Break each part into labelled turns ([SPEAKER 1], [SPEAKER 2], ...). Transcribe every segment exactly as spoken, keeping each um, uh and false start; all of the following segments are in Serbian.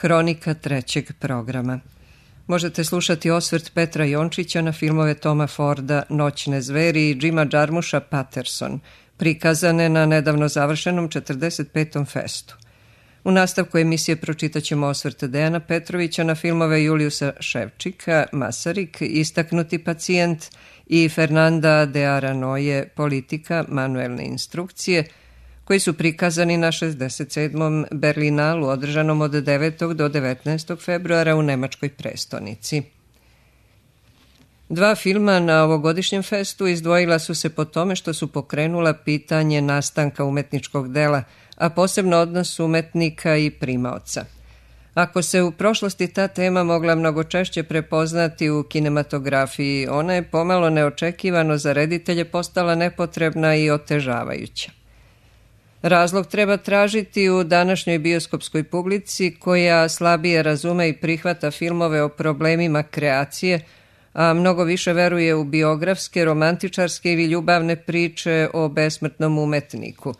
[SPEAKER 1] Hronika trećeg programa. Možete slušati osvrt Petra Jončića na filmove Toma Forda Noćne zveri i Jima Jarmusha Patterson, prikazane na nedavno završenom četrdeset petom festu. U nastavku emisije pročitat ćemo osvrt Dejana Petrovića na filmove Juliusa Ševčika, Masarik, Istaknuti pacijent i Fernanda de Aranoje, Politika, manuelne instrukcije, koji su prikazani na šezdeset sedmom Berlinalu održanom od devetog do devetnaestog februara u nemačkoj prestonici. Dva filma na ovogodišnjem festu izdvojila su se po tome što su pokrenula pitanje nastanka umetničkog dela, a posebno odnos umetnika i primaoca. Ako se u prošlosti ta tema mogla mnogo češće prepoznati u kinematografiji, ona je pomalo neočekivano za reditelje postala nepotrebna i otežavajuća. Razlog treba tražiti u današnjoj bioskopskoj publici koja slabije razume i prihvata filmove o problemima kreacije, a mnogo više veruje u biografske, romantičarske ili ljubavne priče o besmrtnom umetniku.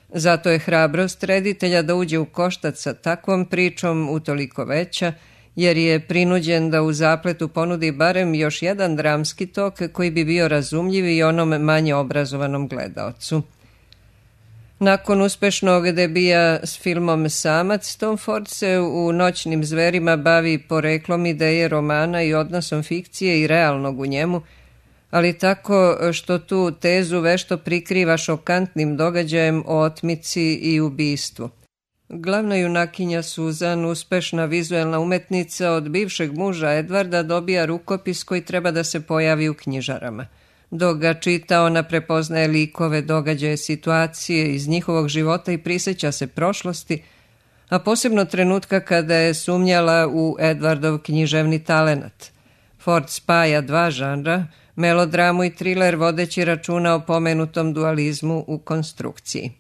[SPEAKER 1] Zato je hrabrost reditelja da uđe u koštac sa takvom pričom utoliko veća, jer je prinuđen da u zapletu ponudi barem još jedan dramski tok koji bi bio razumljiv i onom manje obrazovanom gledaocu. Nakon uspešnog debija s filmom Samac, Tom Ford se u Noćnim zverima bavi poreklom ideje romana i odnosom fikcije i realnog u njemu, ali tako što tu tezu vešto prikriva šokantnim događajem o otmici i ubistvu. Glavna junakinja Suzan, uspešna vizuelna umetnica, od bivšeg muža Edvarda dobija rukopis koji treba da se pojavi u knjižarama. Dok ga čita, ona prepoznaje likove, događaje, situacije iz njihovog života i prisjeća se prošlosti, a posebno trenutka kada je sumnjala u Edvardov književni talenat. Ford spaja dva žanra, melodramu i triler, vodeći računa o pomenutom dualizmu u konstrukciji.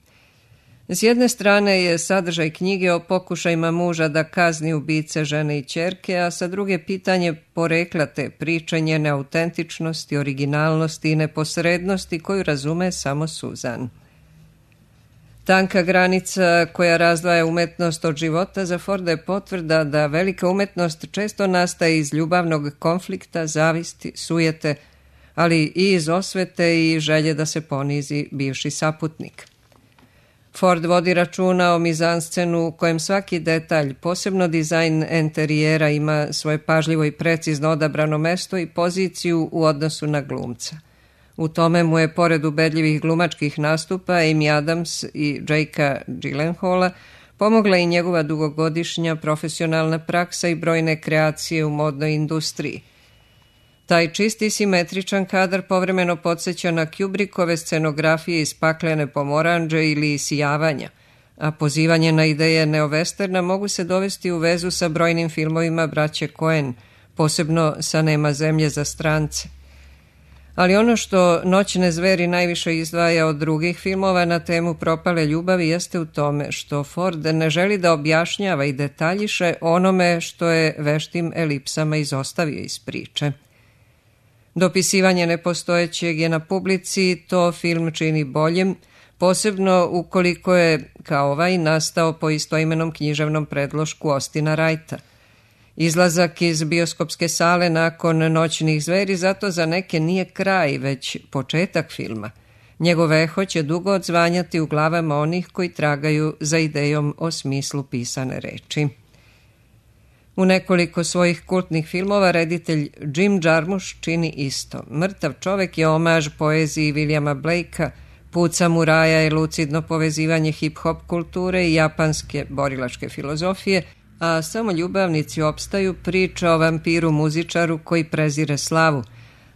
[SPEAKER 1] S jedne strane je sadržaj knjige o pokušajima muža da kazni ubice žene i ćerke, a sa druge pitanje porekla te priče, njene autentičnosti, originalnosti i neposrednosti koju razume samo Suzan. Tanka granica koja razdvaja umetnost od života za Forda je potvrda da velika umetnost često nastaje iz ljubavnog konflikta, zavisti, sujete, ali i iz osvete i želje da se ponizi bivši saputnik. Ford vodi računa o mizanscenu u kojem svaki detalj, posebno dizajn enterijera, ima svoje pažljivo i precizno odabrano mesto i poziciju u odnosu na glumca. U tome mu je, pored ubedljivih glumačkih nastupa Amy Adams i Jakea Gyllenhaala, pomogla i njegova dugogodišnja profesionalna praksa i brojne kreacije u modnoj industriji. Taj čisti simetričan kadar povremeno podsjeća na Kubrickove scenografije iz Paklene pomoranđe ili Isijavanja, a pozivanje na ideje neovesterna mogu se dovesti u vezu sa brojnim filmovima braće Coen, posebno sa Nema zemlje za strance. Ali ono što Noćne zveri najviše izdvaja od drugih filmova na temu propale ljubavi jeste u tome što Ford ne želi da objašnjava i detaljiše onome što je veštim elipsama izostavio iz priče. Dopisivanje nepostojećeg je na publici, to film čini boljim, posebno ukoliko je, kao ovaj, nastao po istoimenom književnom predlošku Austina Wrighta. Izlazak iz bioskopske sale nakon Noćnih zveri zato za neke nije kraj, već početak filma. Njegov eho će dugo odzvanjati u glavama onih koji tragaju za idejom o smislu pisane reči. U nekoliko svojih kultnih filmova reditelj Jim Jarmusch čini isto. Mrtav čovek je omaž poeziji Williama Blakea, Put samuraja je lucidno povezivanje hip-hop kulture i japanske borilačke filozofije, a Samo ljubavnici opstaju priča o vampiru muzičaru koji prezire slavu,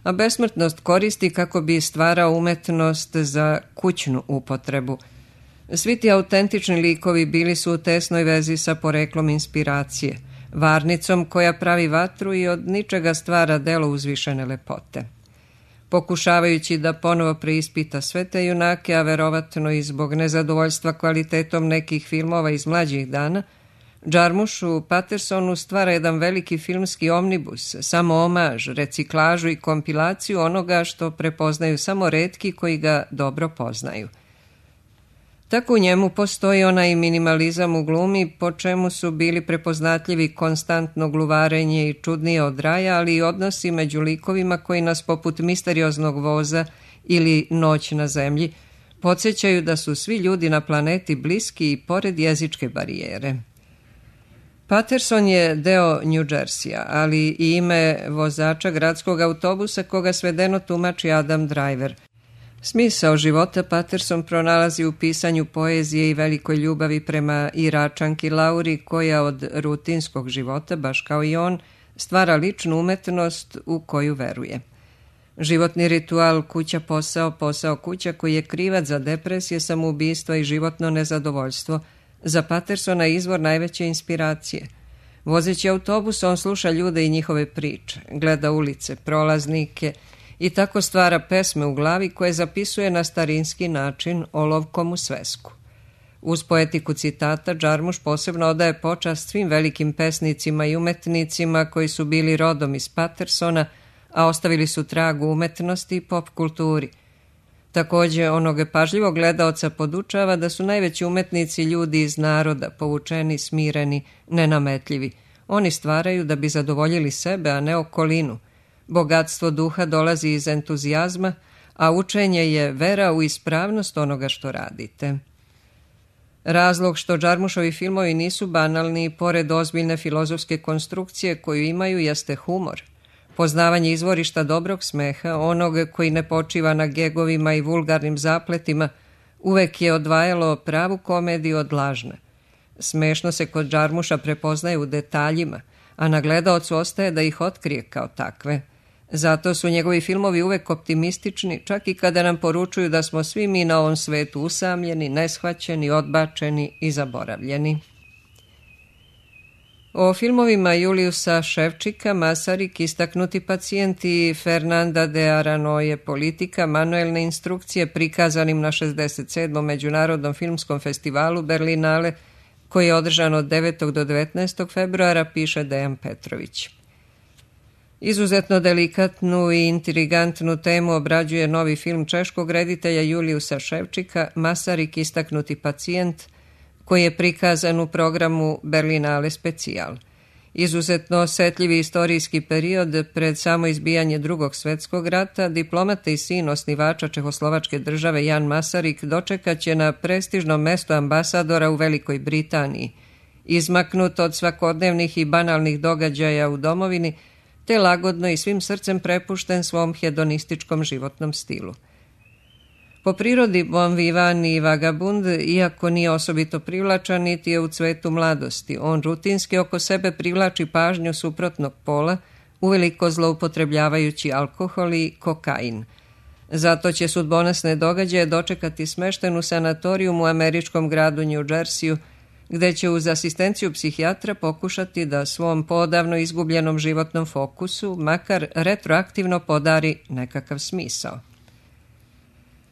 [SPEAKER 1] a besmrtnost koristi kako bi stvarao umetnost za kućnu upotrebu. Svi ti autentični likovi bili su u tesnoj vezi sa poreklom inspiracije, varnicom koja pravi vatru i od ničega stvara delo uzvišene lepote. Pokušavajući da ponovo preispita sve te junake, a verovatno i zbog nezadovoljstva kvalitetom nekih filmova iz mlađih dana, Jarmusch u Pattersonu stvara jedan veliki filmski omnibus, samo omaž, reciklažu i kompilaciju onoga što prepoznaju samo retki koji ga dobro poznaju. Tako u njemu postoji onaj minimalizam u glumi, po čemu su bili prepoznatljivi konstantno gluvarenje i čudnije od raja, ali i odnosi među likovima koji nas poput misterioznog voza ili Noć na zemlji podsjećaju da su svi ljudi na planeti bliski i pored jezičke barijere. Patterson je deo New Jerseya, ali i ime vozača gradskog autobusa koga svedeno tumači Adam Driver. Smisao života Patterson pronalazi u pisanju poezije i velikoj ljubavi prema Iračanki Lauri, koja od rutinskog života, baš kao i on, stvara ličnu umetnost u koju veruje. Životni ritual kuća posao, posao kuća koji je krivac za depresije, samoubistva i životno nezadovoljstvo, za Pattersona je izvor najveće inspiracije. Vozeći autobus, on sluša ljude i njihove priče, gleda ulice, prolaznike i tako stvara pesme u glavi koje zapisuje na starinski način olovkom u svesku. Uz poetiku citata, Jarmusch posebno odaje počast svim velikim pesnicima i umetnicima koji su bili rodom iz Pattersona, a ostavili su trag u umetnosti i pop kulturi. Također, onoga pažljivog gledaoca podučava da su najveći umetnici ljudi iz naroda, povučeni, smireni, nenametljivi. Oni stvaraju da bi zadovoljili sebe, a ne okolinu. Bogatstvo duha dolazi iz entuzijazma, a učenje je vera u ispravnost onoga što radite. Razlog što Jarmuschovi filmovi nisu banalni, pored ozbiljne filozofske konstrukcije koju imaju, jeste humor. Poznavanje izvorišta dobrog smeha, onog koji ne počiva na gegovima i vulgarnim zapletima, uvek je odvajalo pravu komediju od lažne. Smešno se kod Jarmuscha prepoznaje u detaljima, a na gledaocu ostaje da ih otkrije kao takve. Zato su njegovi filmovi uvek optimistični, čak i kada nam poručuju da smo svi mi na ovom svetu usamljeni, neshvaćeni, odbačeni i zaboravljeni. O filmovima Juliusa Ševčika, Masarik, Istaknuti pacijent i Fernanda de Aranoje, Politika, manuelne instrukcije, prikazanim na šezdeset sedmom Međunarodnom filmskom festivalu Berlinale, koji je održan od devetog do devetnaestog februara, piše Dejan Petrović. Izuzetno delikatnu i intrigantnu temu obrađuje novi film češkog reditelja Juliusa Ševčika, Masarik, Istaknuti pacijent, koji je prikazan u programu Berlinale specijal. Izuzetno osetljivi istorijski period pred samo izbijanje Drugog svjetskog rata, diplomata i sin osnivača Čehoslovačke države Jan Masarik dočekat će na prestižnom mestu ambasadora u Velikoj Britaniji, izmaknut od svakodnevnih i banalnih događaja u domovini, te lagodno i svim srcem prepušten svom hedonističkom životnom stilu. Po prirodi bon vivant i vagabund, iako nije osobito privlačan, niti je u cvetu mladosti. On rutinski oko sebe privlači pažnju suprotnog pola, uveliko zloupotrebljavajući alkohol i kokain. Zato će sudbonosne događaje dočekati smešten u sanatoriju u američkom gradu New Jerseyu, gde će uz asistenciju psihijatra pokušati da svom podavno izgubljenom životnom fokusu makar retroaktivno podari nekakav smisao.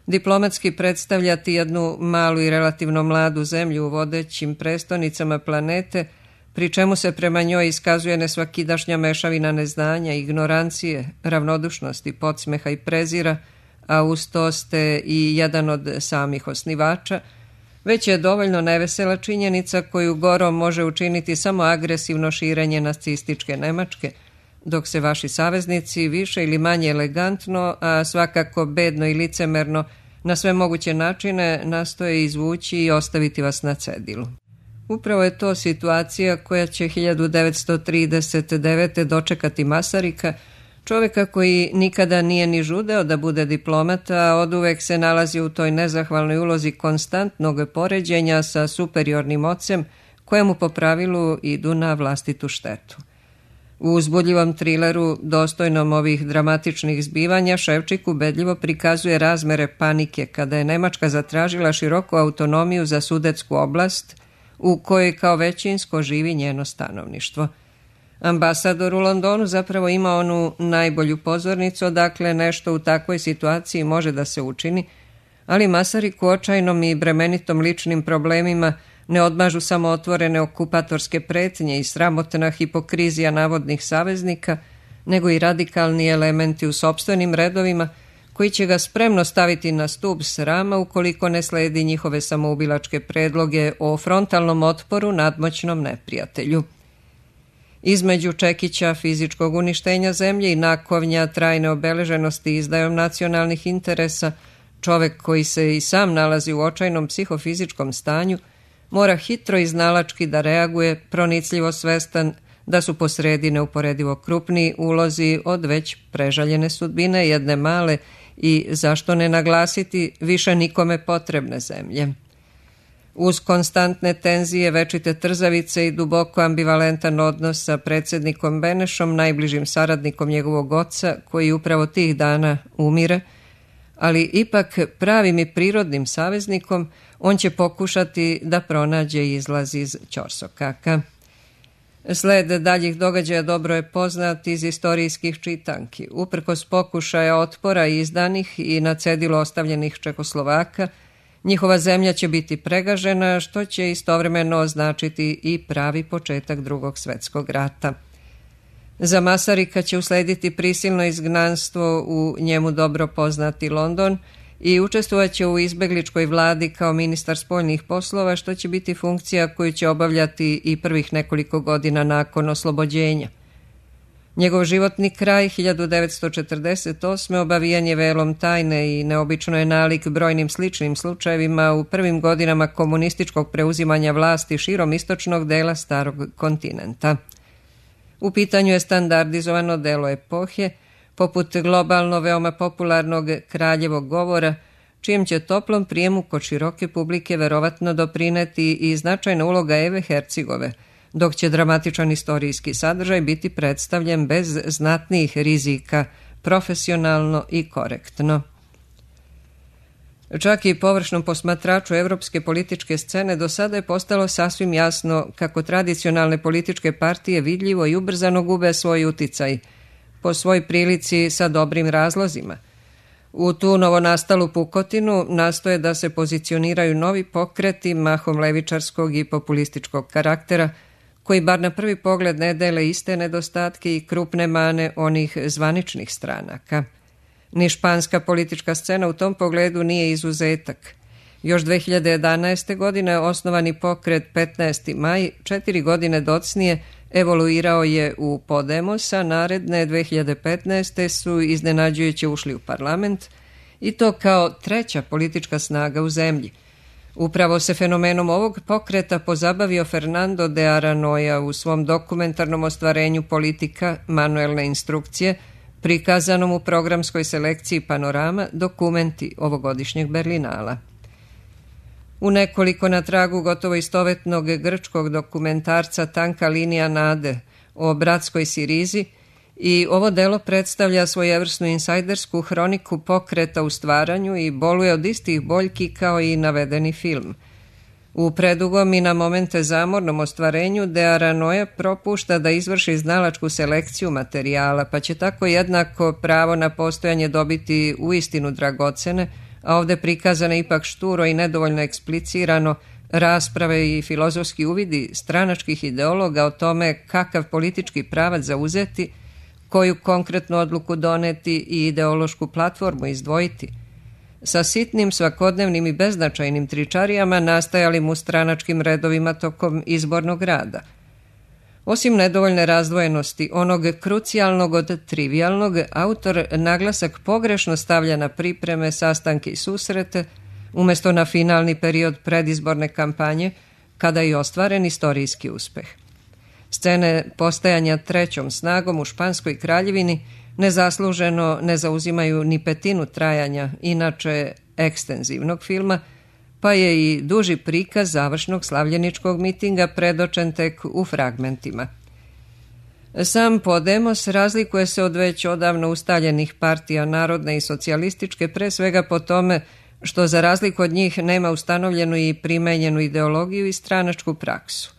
[SPEAKER 1] Diplomatski predstavljati jednu malu i relativno mladu zemlju u vodećim prestonicama planete, pri čemu se prema njoj iskazuje nesvakidašnja mešavina neznanja, ignorancije, ravnodušnosti, podsmeha i prezira, a uz to ste i jedan od samih osnivača, već je dovoljno nevesela činjenica koju gorom može učiniti samo agresivno širenje nacističke Nemačke, dok se vaši saveznici više ili manje elegantno, a svakako bedno i licemerno, na sve moguće načine nastoje izvući i ostaviti vas na cedilu. Upravo je to situacija koja će hiljadu devetsto trideset devete. dočekati Masarika, čovjeka koji nikada nije ni žudeo da bude diplomata, a oduvek se nalazi u toj nezahvalnoj ulozi konstantnog poređenja sa superiornim ocem, kojemu po pravilu idu na vlastitu štetu. U uzbudljivom trileru, dostojnom ovih dramatičnih zbivanja, Ševčik ubedljivo prikazuje razmere panike kada je Nemačka zatražila široku autonomiju za Sudetsku oblast, u kojoj kao većinsko živi njeno stanovništvo. Ambasador u Londonu zapravo ima onu najbolju pozornicu, odakle nešto u takvoj situaciji može da se učini, ali Masarik u očajnom i bremenitom ličnim problemima ne odmažu samo otvorene okupatorske pretnje i sramotna hipokrizija navodnih saveznika, nego i radikalni elementi u sopstvenim redovima koji će ga spremno staviti na stup srama ukoliko ne sledi njihove samoubilačke predloge o frontalnom otporu nadmoćnom neprijatelju. Između čekića fizičkog uništenja zemlje i nakovnja trajne obeleženosti izdajom nacionalnih interesa, čovek koji se i sam nalazi u očajnom psihofizičkom stanju mora hitro i znalački da reaguje, pronicljivo svestan da su posredi neuporedivo krupniji ulozi od već prežaljene sudbine jedne male i, zašto ne naglasiti, više nikome potrebne zemlje. Uz konstantne tenzije, večite trzavice i duboko ambivalentan odnos sa predsjednikom Benešom, najbližim saradnikom njegovog oca, koji upravo tih dana umire, ali ipak pravim i prirodnim saveznikom, on će pokušati da pronađe izlaz iz ćorsokaka. Sled daljih događaja dobro je poznat iz istorijskih čitanki. Uprkos pokušaja otpora izdanih i na cedilu ostavljenih Čekoslovaka, njihova zemlja će biti pregažena, što će istovremeno označiti i pravi početak Drugog svjetskog rata. Za Masarika će uslediti prisilno izgnanstvo u njemu dobro poznati London i učestvovaće u izbegličkoj vladi kao ministar spoljnih poslova, što će biti funkcija koju će obavljati i prvih nekoliko godina nakon oslobođenja. Njegov životni kraj hiljadu devetsto četrdeset osme obavijan je velom tajne i neobično je nalik brojnim sličnim slučajevima u prvim godinama komunističkog preuzimanja vlasti širom istočnog dela starog kontinenta. U pitanju je standardizovano delo epohe, poput globalno veoma popularnog Kraljevog govora, čijem će toplom prijemu kod široke publike verovatno doprineti i značajna uloga Eve Hercigove, dok će dramatičan istorijski sadržaj biti predstavljen bez znatnijih rizika, profesionalno i korektno. Čak i površnom posmatraču evropske političke scene do sada je postalo sasvim jasno kako tradicionalne političke partije vidljivo i ubrzano gube svoj uticaj, po svoj prilici sa dobrim razlozima. U tu novonastalu pukotinu nastoje da se pozicioniraju novi pokreti mahom levičarskog i populističkog karaktera, koji bar na prvi pogled ne dele iste nedostatke i krupne mane onih zvaničnih stranaka. Ni španska politička scena u tom pogledu nije izuzetak. Još dve hiljade jedanaeste. godine osnovani pokret petnaesti maj, četiri godine docnije, evoluirao je u Podemos, a naredne dve hiljade petnaeste. su iznenađujuće ušli u parlament, i to kao treća politička snaga u zemlji. Upravo se fenomenom ovog pokreta pozabavio Fernando de Aranoja u svom dokumentarnom ostvarenju Politika, manuelne instrukcije, prikazanom u programskoj selekciji Panorama, dokumenti ovogodišnjeg Berlinala. U nekoliko na tragu gotovo istovetnog grčkog dokumentarca Tanka linija nade o bratskoj Sirizi, i ovo delo predstavlja svojevrsnu insajdersku hroniku pokreta u stvaranju i boluje od istih boljki kao i navedeni film. U predugom i na momente zamornom ostvarenju de Aranoja propušta da izvrši znalačku selekciju materijala, pa će tako jednako pravo na postojanje dobiti uistinu dragocene, a ovde prikazane ipak šturo i nedovoljno eksplicirano, rasprave i filozofski uvidi stranačkih ideologa o tome kakav politički pravac zauzeti, koju konkretnu odluku doneti i ideološku platformu izdvojiti. Sa sitnim, svakodnevnim i beznačajnim tričarijama nastajalim u stranačkim redovima tokom izbornog rada. Osim nedovoljne razdvojenosti, onog krucijalnog od trivialnog, autor naglasak pogrešno stavlja na pripreme, sastanke i susrete, umjesto na finalni period predizborne kampanje, kada je ostvaren istorijski uspeh. Scene postajanja trećom snagom u Španskoj kraljevini nezasluženo ne zauzimaju ni petinu trajanja, inače ekstenzivnog filma, pa je i duži prikaz završnog slavljeničkog mitinga predočen tek u fragmentima. Sam Podemos razlikuje se od već odavno ustaljenih partija narodne i socijalističke, pre svega po tome što za razliku od njih nema ustanovljenu i primenjenu ideologiju i stranačku praksu.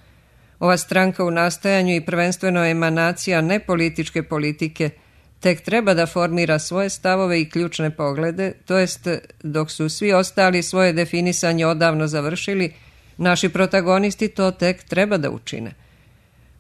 [SPEAKER 1] Ova stranka u nastajanju i prvenstveno emanacija nepolitičke politike tek treba da formira svoje stavove i ključne poglede, to jest dok su svi ostali svoje definisanje odavno završili, naši protagonisti to tek treba da učine.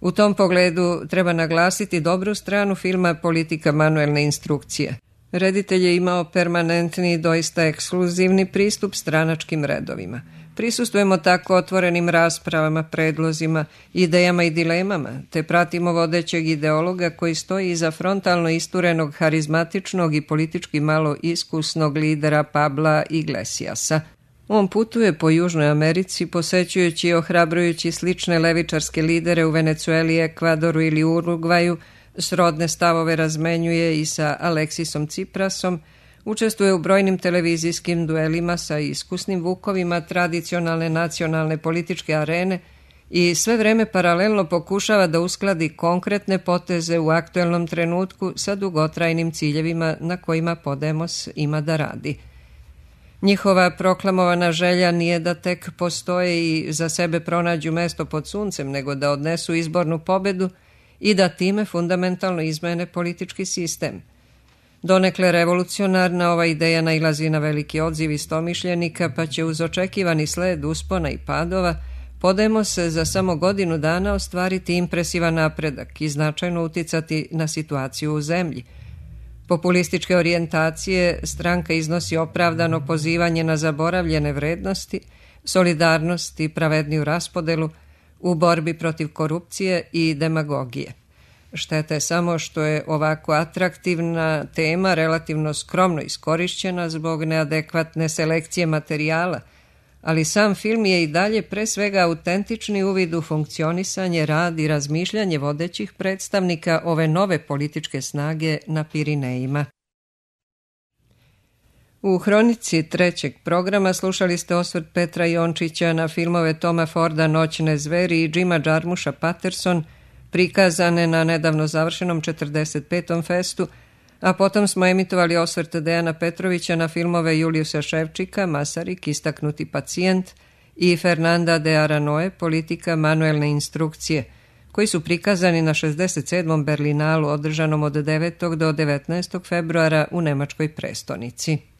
[SPEAKER 1] U tom pogledu treba naglasiti dobru stranu filma Politika, manuelne instrukcije. Reditelj je imao permanentni i doista ekskluzivni pristup stranačkim redovima. Prisustujemo tako otvorenim raspravama, predlozima, idejama i dilemama, te pratimo vodećeg ideologa koji stoji iza frontalno isturenog, harizmatičnog i politički malo iskusnog lidera Pabla Iglesiasa. On putuje po Južnoj Americi, posećujući i ohrabrujući slične levičarske lidere u Venecueli, Ekvadoru ili Urugvaju, srodne stavove razmenjuje i sa Aleksisom Ciprasom, učestvuje u brojnim televizijskim duelima sa iskusnim vukovima tradicionalne nacionalne političke arene i sve vreme paralelno pokušava da uskladi konkretne poteze u aktuelnom trenutku sa dugotrajnim ciljevima na kojima Podemos ima da radi. Njihova proklamovana želja nije da tek postoje i za sebe pronađu mesto pod suncem, nego da odnesu izbornu pobedu i da time fundamentalno izmene politički sistem. Donekle revolucionarna ova ideja nailazi na veliki odziv istomišljenika, pa će uz očekivani sled uspona i padova Podemos za samo godinu dana ostvariti impresivan napredak i značajno uticati na situaciju u zemlji. Populističke orijentacije stranka iznosi opravdano pozivanje na zaboravljene vrednosti, solidarnost i pravedniju raspodelu u borbi protiv korupcije i demagogije. Šteta je samo što je ovako atraktivna tema relativno skromno iskorišćena zbog neadekvatne selekcije materijala, ali sam film je i dalje pre svega autentični uvid u funkcionisanje, rad i razmišljanje vodećih predstavnika ove nove političke snage na Pirinejima. U hronici trećeg programa slušali ste osvrt Petra Jončića na filmove Toma Forda Noćne zveri i Jima Jarmusha Patterson, prikazane na nedavno završenom četrdeset petom festu, a potom smo emitovali osvrt Dejana Petrovića na filmove Juliusa Ševčika, Masarik, istaknuti pacijent, i Fernanda de Aranoe, Politika manuelne instrukcije, koji su prikazani na šezdeset sedmom Berlinalu održanom od devetog do devetnaestog februara u nemačkoj prestonici.